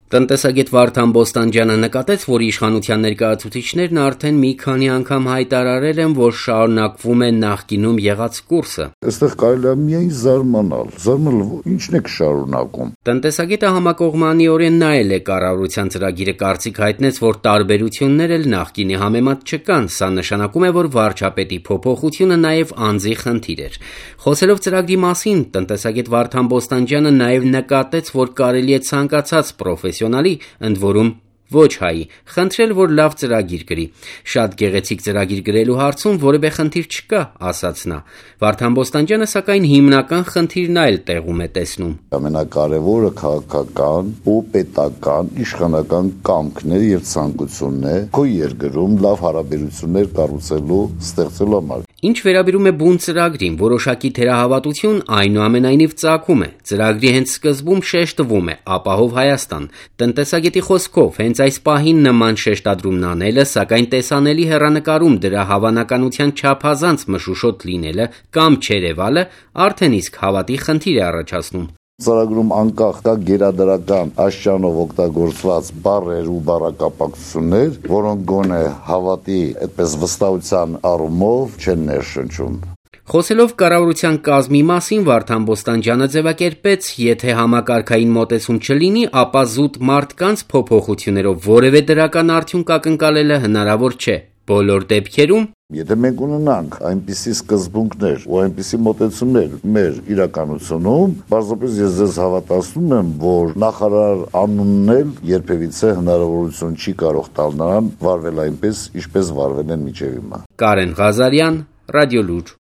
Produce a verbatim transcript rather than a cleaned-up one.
Տնտեսագետ Վարդան Բոստանջյանը նկատեց, որ իշխանության ներկայացուցիչներն արդեն մի քանի անգամ հայտարարել են, որ շարունակվում է նախկինում եղած կուրսը։ Այստեղ կարելի է միայն զարմանալ, զարմանալ, ինչն եք շարունակում։ Տնտեսագետը համակողմանիորեն նայել է կառավարության ծրագիրը, կարծիք հայտնեց, որ տարբերություններ էլ նախկինի համեմատ չկան, սա նշանակում է, որ վարչապետի փոփոխությունը նաև անձի խնդիր էր։ Խոսելով ծրագրի մասին, տնտեսագետ Վարդան Բոստանջյանը նաև նկատեց, որ կարելի է ցանկացած պրոֆեսիոնալի, ընդ որում ոչ հայի, խնդրել, որ լավ ծրագիր գրի։ Շատ գեղեցիկ ծրագիր գրելու հարցում որևէ խնդիր չկա, ասաց նա։ Վարդան Բոստանջյանը սակայն հիմնական խնդիրն այլ տեղում է տեսնում։ Ամենակարևորը քաղաքական ու պետական իշխանական կամքն է եւ ցանկությունն է քո երկրում լավ հարաբերություններ կառուցելու, ստեղծելու համար։ Ինչ վերաբերում է բուն ծրագրին, որոշակի թերահավատություն այնուամենայնիվ ծագում է։ Ծրագրի հենց սկզբում շեշտվում է ապահով Հայաստան։ Տնտեսագետի խոսքով հենց այս պահին նման շեշտադրումն անելը, սակայն տեսանելի հեռանկարում դրա հավանականության չափազանց մշուշոտ լինելը կամ չերևալը արդեն իսկ հավատի խնդիր է առաջացնում։ Ծրագրում անկախ կա գերադրական աշճանով օգտագործված բառեր ու բառակապակցություններ, որոնք գոնե հավատի այդպես վստահության առումով չեն ներշնչում։ Խոսելով կառավարության կազմի մասին, Վարդան Բոստանջյանը ձևակերպեց, եթե համակարգային մոտեցում չլինի, ապա զուտ մարդկանց փոփոխություններով որևէ դրական արդյունք ակնկալելը հնարավոր չէ։ Բոլոր դեպքերում, եթե մենք ունենանք այնպիսի սկզբունքներ ու այնպիսի մոտեցումներ մեր իրականությունում, բարձրապես ես ձեզ հավատացնում եմ, որ նախարար անունն էլ երբևիցե հնարավորություն չի կարող տալ նրան վարվել այնպես, ինչպես վարվել են մինչև հիմա։ Կարեն Ղազարյան, Ռադիոլուր։